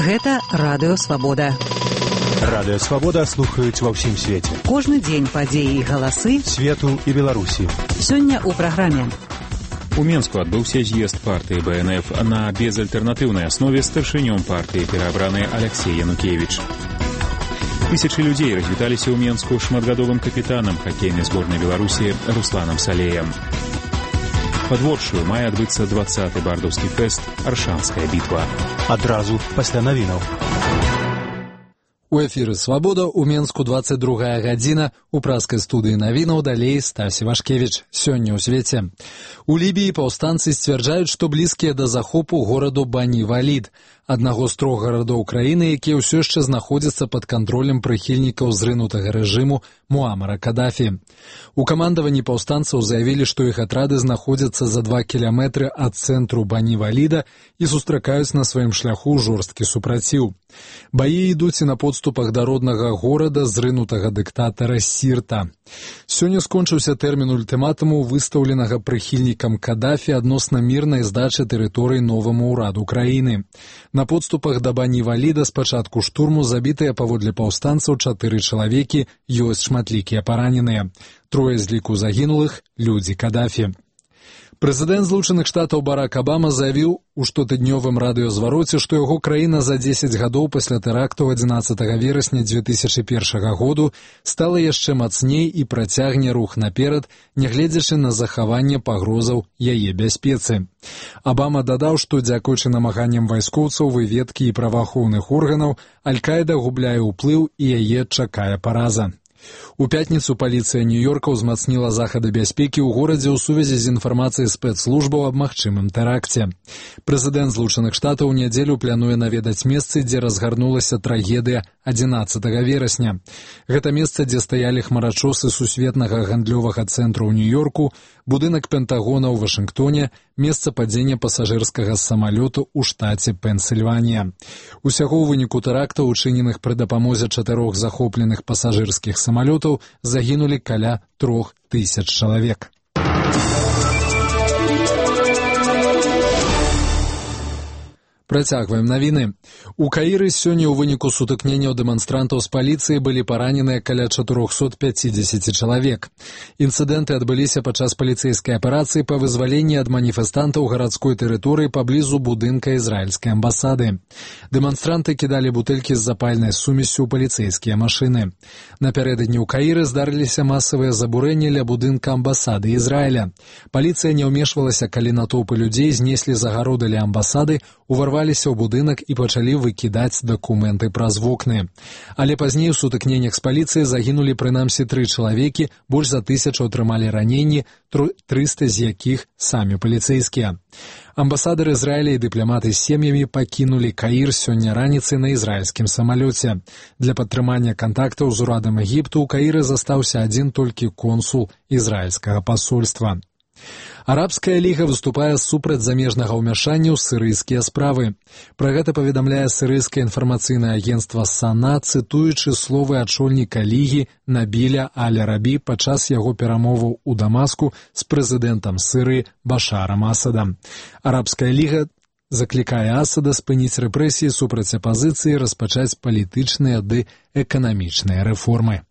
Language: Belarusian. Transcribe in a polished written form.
Гэта Радыё Свабода. Радыё Свабода слухаюць ва ўсім свеце. Кожны дзень падзеі і галасы свету і Беларусі. Сёння ў праграме. У Менску адбыўся з'езд партыі БНФ на безальтэрнатыўнай аснове старшынём партыі пераабраны Алексей Янукевіч. Тысячы людзей развіталіся ў Менску шматгадовым капітанам хакейнай зборнай Беларусі Русланам Салеем. Падворшую мае адбыцца 20-й бардаўскі фэст «Аршанская бітва». Адразу пасля навінаў. У эфіры «Свабода» у Менску 22 гадзіна. У праскай студыі навінаў далей Стась Івашкевіч. Сёння ў свеце. У Лібіі паўстанцы сцвярджаюць, што блізкія да захопу гораду Бани-Валід, аднаго з 3 гарадоў краіны, якія ўсё яшчэ знаходзяцца пад кантролем прыхільнікаў зрынутага рэжыму Муамара Кадафі. У камандаванні паўстанцаў заявілі, што іх атрады знаходзяцца за 2 кіламетры ад цэнтру Бани-Валіда і сустракаюць на сваім шляху жорсткі супраціў. Баі ідуць і на подступах да роднага горада зрынутага дыктатара Сірта. Сёння скончыўся тэрмін ультыматуму, выстаўленага прыхільнікам Кадафі адносна мірнай здачы тэрыторый новаму ўраду краіны. На подступах да Бани-Валіда з пачатку штурму забітыя паводле паўстанцаў 4 чалавекі, ёсць шматлікія параненыя. 3 з ліку загінулых – людзі Кадафі. Прэзідэнт Злучаных Штатаў Барак Абама заявіў у штотыднёвым радыёзвароце, што яго краіна за 10 гадоў пасля тэракту 11 верасня 2001 году стала яшчэ мацней і працягне рух наперад, нягледзячы на захаванне пагрозаў яе бяспецы. Абама дадаў, што дзякуючы намаганням вайскоўцаў, выведкі і праваахоўных органаў, Аль-Каіда губляе ўплыў і яе чакае параза. У пятніцу паліцыя Нью-Йорка ўзмацніла захады бяспекі ў горадзе ў сувязі з інфармацыяй спецслужбаў аб магчымым тэракце. Прэзідэнт Злучаных Штатаў у нядзелю плануе наведаць месцы, дзе разгарнулася трагедыя 11 верасня. Гэта месца, дзе стаялі хмарачосы сусветнага гандлёвага цэнтру ў Нью-Йорку, будынак Пентагона ў Вашынгтоне, месца падзення пасажырскага самалёту ў штаце Пенсільванія. Усяго ў выніку тэрактаў, учыненых пры дапамозе 4 захопленых пасажырскіх самалётаў, загінулі каля 3000 чалавек. Працягваем навіны. У Каіры сёння ў выніку сутыкненняў дэманстрантаў з паліцыяй былі параненыя каля 450 чалавек. Інцыдэнты адбыліся падчас паліцэйскай аперацыі па вызваленні ад маніфестантаў гарадской тэрыторыі паблізу будынка ізраільскай амбасады. Дэманстранты кідалі бутэлькі з запальнай сумессю ў паліцэйскія машыны. Напярэдадні ў Каіры здарыліся масавыя забурэнні ля будынка амбасады Ізраіля. Паліцыя не ўмешвалася, калі натоўпы людзей знеслі загароды ля амбасады, уварваліся ў будынак і пачалі выкідаць дакументы праз вокны. Але пазней у сутыкненнях з паліцыяй загінулі прынамсі 3 чалавекі, больш за 1000 атрымалі раненні, 300 з якіх самі паліцэйскія. Амбасадар Ізраіля і дыпламаты з сем'ямі пакінулі Каір сёння раніцай на ізраільскім самалёце. Для падтрымання кантактаў з урадам Егіпту ў Каіры застаўся адзін толькі консул ізраільскага пасольства. Арабская ліга выступае супраць замежнага ўмяшання ў сірыйскія справы. Пра гэта паведамляе сірыйскае інфармацыйнае агенцтва САНА, цытуючы словы ачольніка лігі Набіля Аль-Арабі падчас яго перамоваў у Дамаску з прэзідэнтам Сірыі Башарам Асадам. Арабская ліга заклікае Асада спыніць рэпрэсіі супраць апазіцыі, распачаць палітычныя ды эканамічныя рэформы.